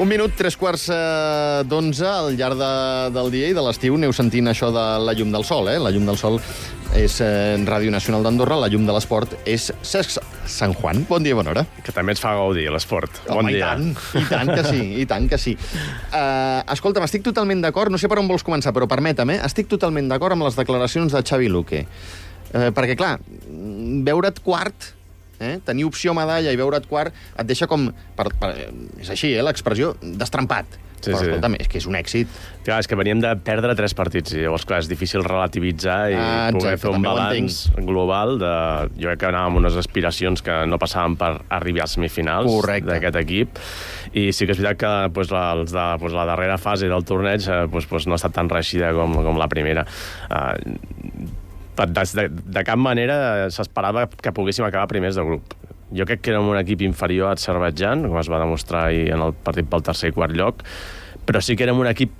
Un minut, 3:15 al llarg del dia i de l'estiu aneu sentint això de la llum del sol, La llum del sol és Ràdio Nacional d'Andorra, la llum de l'esport és Cesc Sant Juan. Bon dia, bona hora. Que també ens fa gaudir l'esport. Bon dia. I tant que sí, i tant que sí. Escolta'm, estic totalment d'acord, no sé per on vols començar, però permèt'm, estic totalment d'acord amb les declaracions de Xavi Luque. Perquè, clar, veure't quart, tenir opció medalla i veure't quart et deixa com, és així, l'expressió, destrampat. Sí, però, escolta'm, és que és un èxit. Clar, és que veníem de perdre 3 partits i llavors, clar, és difícil relativitzar i poder fer un balanç global de... Jo crec que anàvem amb unes aspiracions que no passaven per arribar als semifinals d'aquest equip i sí que és veritat que la darrera fase del torneig no ha estat tan reeixida com la primera. De cap manera s'esperava que poguéssim acabar primers de grup. Jo crec que érem un equip inferior a Azerbaidjan, com es va demostrar ahir en el partit pel tercer i quart lloc, però sí que érem un equip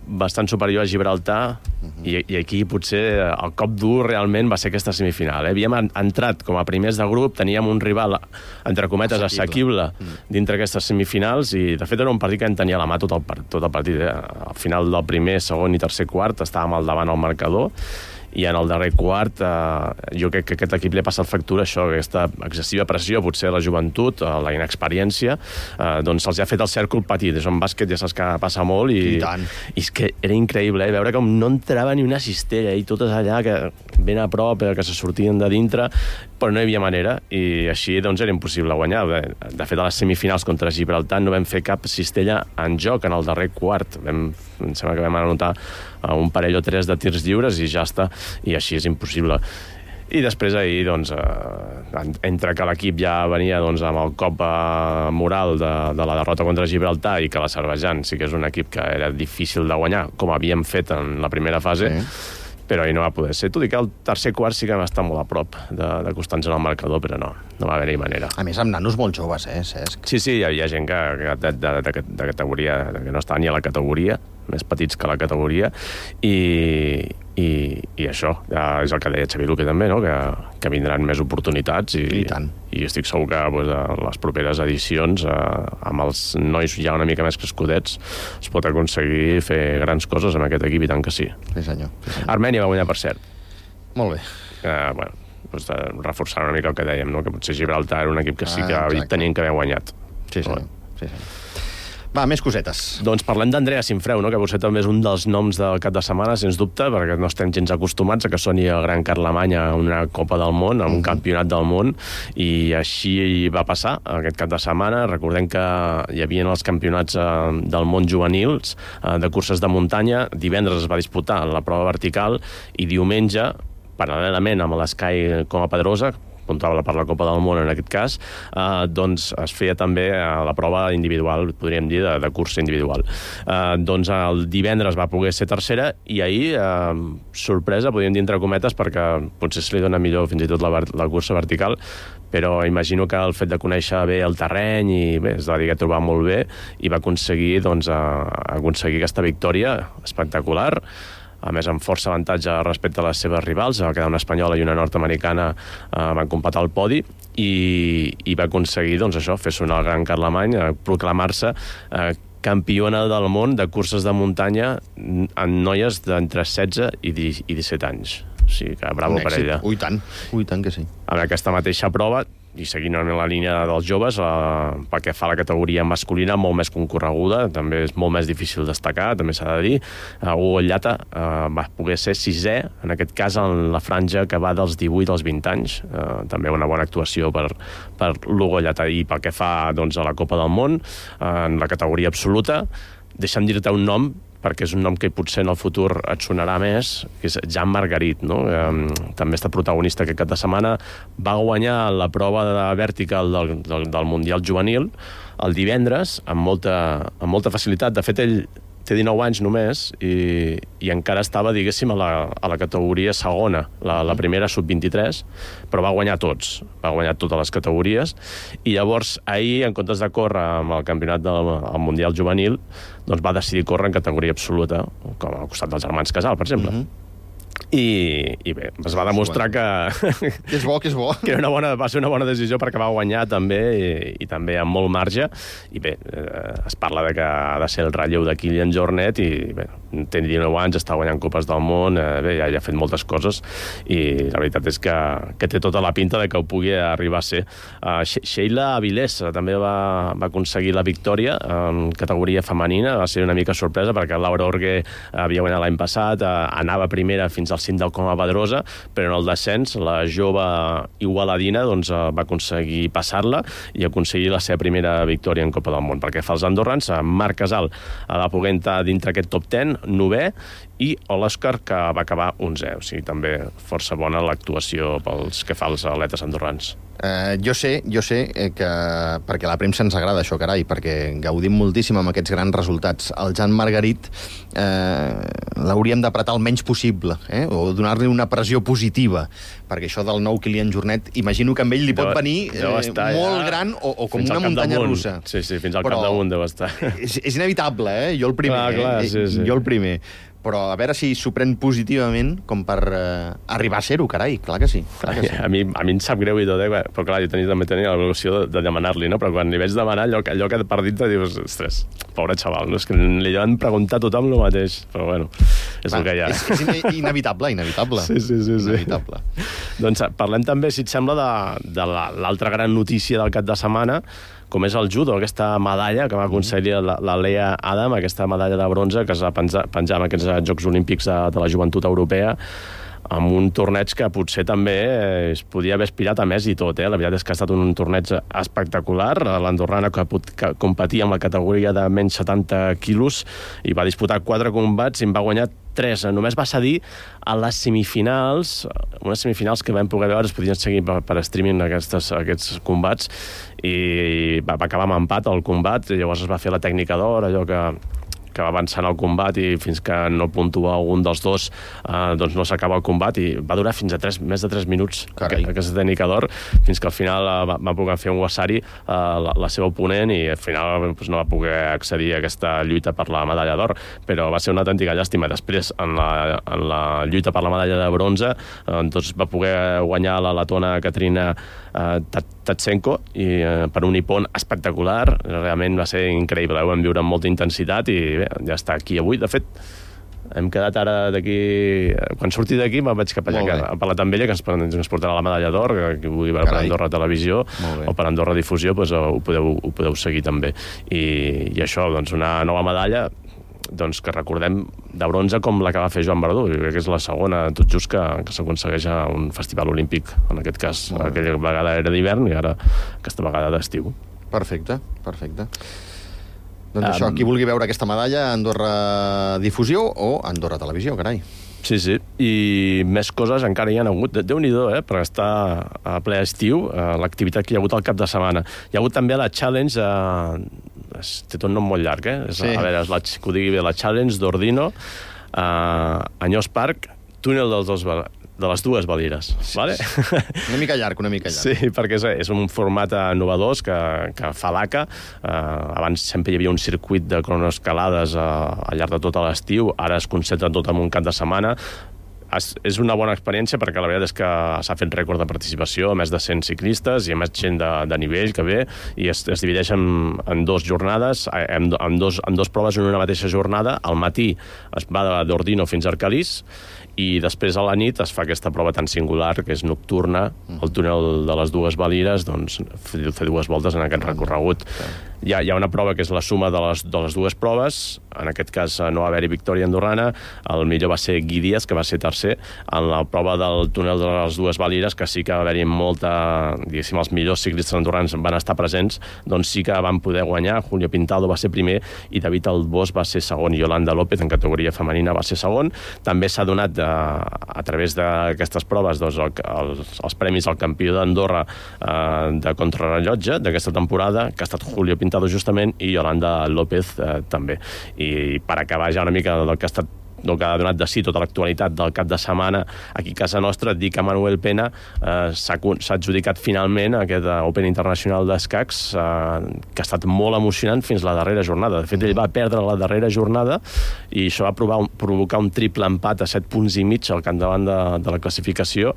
bastant superior a Gibraltar i aquí potser el cop dur realment va ser aquesta semifinal. Havíem entrat com a primers de grup, teníem un rival, entre cometes, assequible dintre aquestes semifinals i, de fet, era un partit que en tenia a la mà tot el partit. Al final del primer, segon i tercer quart estàvem al davant al marcador i en el darrer quart jo crec que aquest equip li ha passat factura això, aquesta excessiva pressió, potser la joventut, la inexperiència, doncs se'ls ha fet el cèrcol petit. És un bàsquet, ja saps que passa molt i és que era increïble, veure com no entrava ni una cistella i totes allà que ben a prop, que se sortien de dintre, però no hi havia manera i així doncs era impossible guanyar. De fet, a les semifinals contra Gibraltar no vam fer cap cistella en joc en el darrer quart. Em sembla que vam anotar un parell o 3 de tirs lliures i ja està, i així és impossible. I després ahir, doncs, entre que l'equip ja venia amb el cop moral de la derrota contra Gibraltar i que l'Azerbaidjan sí que és un equip que era difícil de guanyar, com havíem fet en la primera fase, però ahir no va poder ser. Tot i que el tercer quart sí que vam estar molt a prop d'acostar-nos al marcador, però no va haver-hi manera. A més, amb nanos molt joves, Cesc? Sí, hi havia gent de categoria, que no estava ni a la categoria, més petits que la categoria, i això és el que deia Xavi Luque també, no? Que vindran més oportunitats i estic segur que a les properes edicions amb els nois ja una mica més crescudets es pot aconseguir fer grans coses amb aquest equip, i tant que sí. Sí, senyor. Armènia va guanyar, per cert. Molt bé. Reforçant una mica el que dèiem, no? Que potser Gibraltar era un equip que sí que tenien que haver guanyat. Sí, senyor. Va, més cosetes. Doncs parlem d'Andrea Sinfreu, no? Que potser també és un dels noms del cap de setmana, sens dubte, perquè no estem gens acostumats a que soni el Gran Carlemany a una Copa del Món, a un campionat del món, i així va passar aquest cap de setmana. Recordem que hi havia els campionats del món juvenils de curses de muntanya. Divendres es va disputar la prova vertical i diumenge, paral·lelament amb l'Sky Coma Pedrosa, comptava per la Copa del Món en aquest cas, doncs es feia també la prova individual, podríem dir, de cursa individual. Doncs el divendres va poder ser tercera i ahir, sorpresa, podríem dir entre cometes, perquè potser se li dona millor fins i tot la cursa vertical, però imagino que el fet de conèixer bé el terreny i bé, es va dir que trobar molt bé i va aconseguir aquesta victòria espectacular, a més amb força avantatge respecte a les seves rivals. Va quedar una espanyola i una nord-americana, van completar el podi i va aconseguir fer sonar el Gran Carlemany, proclamar-se campiona del món de curses de muntanya en noies d'entre 16 i 17 anys. O sigui que bravo per ella. Ui, tant que sí. En aquesta mateixa prova, i seguint en la línia dels joves, pel que fa a la categoria masculina, molt més concorreguda, també és molt més difícil destacar, també s'ha de dir. Hugo Llata va poder ser 6è, en aquest cas en la franja que va dels 18 als 20 anys. També una bona actuació per l'Hugo Llata. I pel que fa a la Copa del Món, en la categoria absoluta, deixa'm dir-te un nom, perquè és un nom que potser en el futur et sonarà més, que és Jan Margarit, no? També està protagonista aquest cap de setmana. Va guanyar la prova de vertical del Mundial Juvenil el divendres amb molta facilitat. De fet, ell té 19 anys només i encara estava, diguéssim, a la categoria segona, la primera sub-23, però va guanyar tots, va guanyar totes les categories, i llavors ahir, en comptes de córrer amb el campionat del Mundial Juvenil, doncs va decidir córrer en categoria absoluta, com al costat dels germans Casal, per exemple. I bé, es va demostrar que és bo, que és bo. Que va ser una bona decisió perquè va guanyar també i també amb molt marge. I bé, es parla de que ha de ser el relleu de Kilian Jornet i bé, té 19 anys, està guanyant Copes del Món, bé, ja ha fet moltes coses i la veritat és que té tota la pinta de que ho pugui arribar a ser. Sheila Avilés també va aconseguir la victòria en categoria femenina, va ser una mica sorpresa perquè Laura Orgue havia guanyat l'any passat, anava primera fins al cim del Coma Pedrosa, però en el descens la jove igualadina doncs, va aconseguir passar-la i aconseguir la seva primera victòria en Copa del Món. Perquè fa els andorrans, Marc Casal va poder entrar dintre aquest top 10, 9è, i l'Òscar, que va acabar 11è. O sigui, també força bona l'actuació pels que fa els atletes andorrans. Jo sé que perquè a la premsa ens agrada això, carai, perquè gaudim moltíssim amb aquests grans resultats. El Jan Margarit l'hauríem d'apretar el menys possible, o donar-li una pressió positiva, perquè això del nou Kilian Jornet, imagino que amb ell li pot venir molt gran o com una muntanya russa. Sí, fins al capdamunt deu estar. És inevitable, jo el primer. Clar, sí. Jo el primer. Però a veure si s'ho pren positivament com per arribar a ser-ho, carai, clar que sí. A mi em sap greu i tot, però clar, jo també tenia l'evolució de demanar-li, no? Però quan li vaig demanar allò que per dintre dius, ostres, pobre xaval, no? És que li van preguntar a tothom el mateix, però bueno, és el que hi ha. És inevitable. Sí. Inevitable. Doncs parlem també, si et sembla, de l'altra gran notícia del cap de setmana, com és el judo, aquesta medalla que va aconseguir la Lea Adam, aquesta medalla de bronze que es va penjar en aquests Jocs Olímpics de la Joventut Europea, amb un torneig que potser també es podia haver aspirat a més i tot. La veritat és que ha estat un torneig espectacular. L'andorrana que competia amb la categoria de menys 70 quilos i va disputar 4 combats i en va guanyar 3. Només va cedir a les semifinals, unes semifinals que vam poder veure, es podien seguir per streaming aquests combats, i va acabar amb empat el combat. Llavors es va fer la tècnica d'or, allò que va avançant el combat i fins que no puntua algun dels dos doncs no s'acaba el combat, i va durar fins a més de 3 minuts aquesta tècnica d'or, fins que al final va poder fer un wasari la seva oponent i al final doncs, no va poder accedir a aquesta lluita per la medalla d'or, però va ser una autèntica llàstima. Després en la lluita per la medalla de bronze doncs va poder guanyar la letona Katrina Tatsenko i per un ipon espectacular, realment va ser increïble, ho vam viure amb molta intensitat i bé, ja està aquí avui. De fet, hem quedat ara d'aquí... Quan surti d'aquí me'n vaig cap allà a parlar amb ella, que ens portarà la medalla d'or, que vull veure per Andorra Televisió o per Andorra Difusió, doncs ho podeu seguir també. I això, doncs una nova medalla doncs que recordem de bronze com la que va fer Joan Verdú, i crec que és la segona, tot just que s'aconsegueix a un festival olímpic, en aquest cas. Aquella vegada era d'hivern i ara aquesta vegada d'estiu. Perfecte. Doncs això, qui vulgui veure aquesta medalla, Andorra Difusió o Andorra Televisió, carai. Sí, i més coses encara hi ha hagut. Déu-n'hi-do, per estar a ple estiu, l'activitat que hi ha hagut al cap de setmana. Hi ha hagut també la Challenge, té tot un nom molt llarg, Sí. A veure, que ho digui bé, la Challenge d'Ordino, Anyós Park, túnel de les dues Valires. Vale? Una mica llarg. Sí, perquè és un format innovador que fa l'ACA. Abans sempre hi havia un circuit de cronoescalades al llarg de tot l'estiu, ara es concentra tot en un cap de setmana. És una bona experiència perquè la veritat és que s'ha fet rècord de participació, més de 100 ciclistes i més gent de nivell que ve, i es divideix en 2 jornades, en dos proves en una mateixa jornada. Al matí es va d'Ordino fins a Arcalís i després a la nit es fa aquesta prova tan singular que és nocturna, el túnel de les dues Valires, doncs fer 2 voltes en aquest recorregut. Hi ha una prova que és la suma de les dues proves. En aquest cas no va haver-hi victòria andorrana, el millor va ser Guy Díaz, que va ser tercer. En la prova del túnel de les dues Valires, que sí que va haver-hi molta, diguéssim, els millors ciclistes andorrans van estar presents, doncs sí que van poder guanyar. Julio Pintado va ser primer i David Albós va ser segon, i Yolanda López en categoria femenina va ser segon. També s'ha donat a través d'aquestes proves doncs, els premis al campió d'Andorra de contrarrellotge d'aquesta temporada, que ha estat Julio Pintado justament, i Yolanda López també. I per acabar ja una mica del que ha estat el que ha donat de si tota l'actualitat del cap de setmana aquí a casa nostra, et dic que Manuel Pena s'ha adjudicat finalment aquest Open Internacional d'escacs que ha estat molt emocionant fins la darrera jornada. De fet, ell va perdre la darrera jornada i això va provocar un triple empat a 7 punts i mig al capdavant de la classificació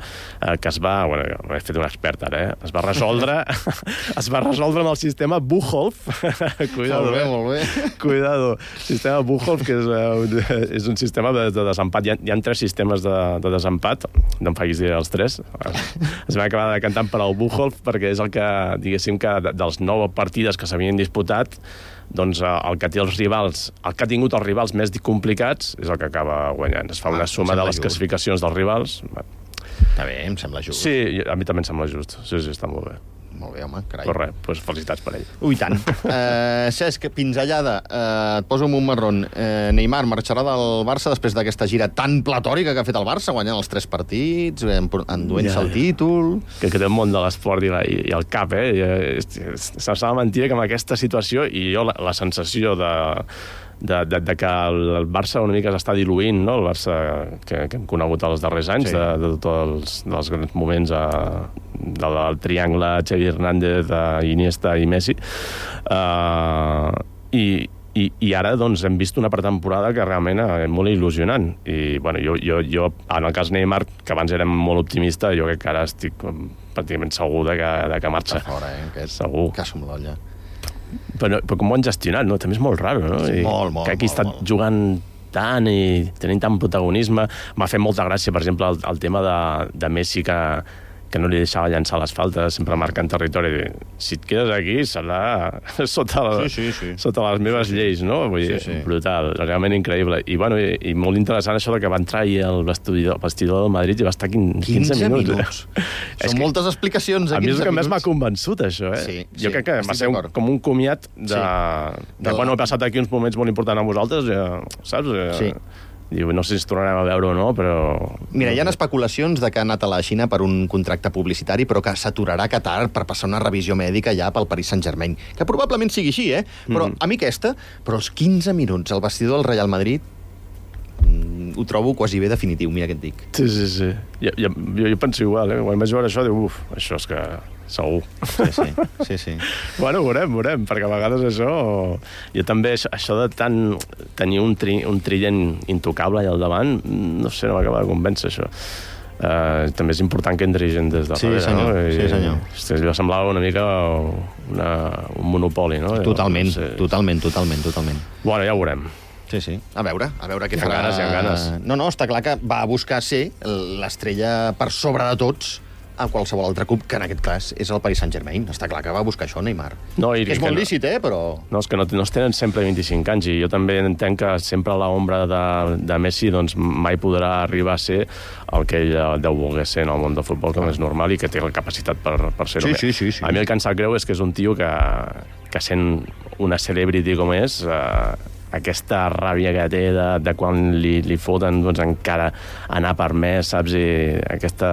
que es va... Bueno, he fet un expert ara, es va resoldre amb el sistema Buchholz. Cuidado, molt bé. Cuidado. Sistema Buchholz, que és un sistema de desempat. Hi ha 3 sistemes de desempat, no em facis dir els 3. Es va acabar decantant per al Buchholz perquè és el que, diguéssim, que dels 9 partides que s'havien disputat, doncs el que té els rivals, el que ha tingut els rivals més complicats és el que acaba guanyant. Es fa una suma de les classificacions dels rivals. Està bé, em sembla just. Sí, a mi també em sembla just. Sí, està molt bé. Molt bé, home, carai. Però res, doncs felicitats per ell. Ui, tant. Cesc, pinzellada, et poso amb un marrón. Neymar marxarà del Barça després d'aquesta gira tan platòrica que ha fet el Barça, guanyant els 3 partits, enduent-se el títol... Que té el món de l'esport i el cap, S'ha mentida que amb aquesta situació, i jo la sensació de que el Barça una mica s'està diluint, no? El Barça que hem conegut els darrers anys, de tots els grans moments del triangle Xavi Hernández, Iniesta i Messi. I ara doncs, hem vist una pretemporada que realment és molt il·lusionant. I bueno, jo en el cas Neymar, que abans érem molt optimista, jo crec que ara estic pràcticament segur de que marxa. Està fora, aquest segur. Cas amb l'olla. Però com ho han gestionat, no? També és molt raro, no? Sí, molt. Que aquí ha estat jugant tant i tenint tant protagonisme. M'ha fet molta gràcia, per exemple, el tema de Messi, que no li deixava llançar les faltes, sempre marcant territori. Si et quedes aquí, serà sota les meves lleis, no? Vull dir, brutal, realment increïble. I, bueno, i molt interessant això que va entrar ahir al vestidor del Madrid i va estar 15 minuts. Són moltes explicacions a 15 minuts. A mi és el que més m'ha convençut, això, Jo crec que va ser com un comiat bueno, he passat aquí uns moments molt importants amb vosaltres, saps? Sí. Diu, no sé si ens tornarem a veure o no, però... Mira, hi ha especulacions de que ha anat a la Xina per un contracte publicitari, però que s'aturarà a Qatar per passar una revisió mèdica ja pel Paris Saint-Germain. Que probablement sigui així, Però a mi però els 15 minuts al vestidor del Real Madrid ho trobo quasi bé definitiu, mira què et dic. Sí. Jo penso igual, Quan vaig veure això, diu, això és que... segur. Sí. Bueno, veurem, perquè a vegades això... Jo també, això de tenir un trident intocable allà al davant, no sé, no m'acaba de convèncer, això. També és important que entri gent des de darrere, no? Sí, senyor. Allò semblava una mica un monopoli, no? Totalment. Bueno, ja ho veurem. Sí. A veure què farà... Hi ha ganes. No, està clar que va a buscar ser l'estrella per sobre de tots a qualsevol altre club, que en aquest cas és el Paris Saint-Germain. Està clar que va buscar això, Neymar. És molt lícit, però... No, és que no es tenen sempre 25 anys, i jo també entenc que sempre l'ombra de Messi doncs, mai podrà arribar a ser el que ell deu voler ser en el món del futbol, com és normal, i que té la capacitat per ser-ho. Sí. A mi el que em sap greu és que és un tio que sent una celebrity com és... aquesta ràbia que té de quan li foten doncs, encara anar per més, saps? I aquesta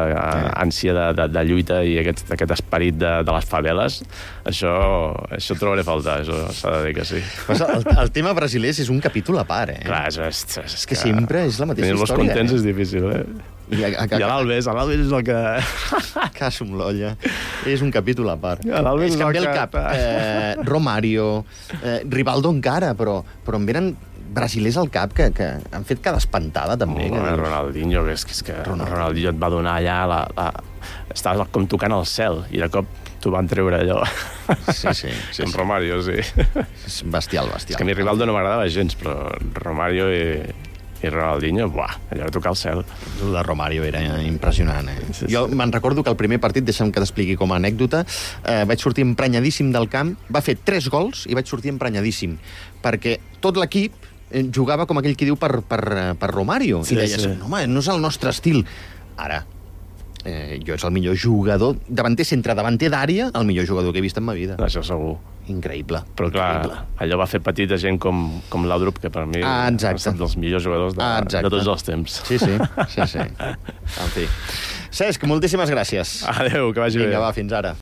ànsia de lluita i aquest esperit de les faveles, això trobaré a faltar, això s'ha de dir que sí. El tema brasiler és un capítol a part, Clar, és que sempre és la mateixa història. Tenir-los contents és difícil, I l'Alves és el que... Caso amb l'olla. És un capítol a part. L'Alves és que em ve el cap. Romario, Rivaldo encara, però em venen brasilers al cap que han fet cada espantada, també. Ronaldinho, és que Ronaldinho et va donar allà... Estava com tocant el cel, i de cop t'ho van treure allò. Sí. En Romario, sí. És bestial. És que a mi Rivaldo no m'agradava gens, però Romario i Ronaldinho, allò de tocar el cel. El de Romario era impressionant, Sí. Jo me'n recordo que el primer partit, deixa'm que t'expliqui com a anècdota, vaig sortir emprenyadíssim del camp, va fer 3 gols i vaig sortir emprenyadíssim, perquè tot l'equip jugava, com aquell qui diu, per Romario. I deies, home, no és el nostre estil. Ara, jo és el millor jugador, centre davanter d'àrea, el millor jugador que he vist en ma vida. Això segur. Increïble. Però clar, allò va fer petit a gent com Laudrup, que per mi ha estat dels millors jugadors de tots els temps. Sí. En fi. Cesc, moltíssimes gràcies. Adéu, que vagi bé. Vinga, va, fins ara.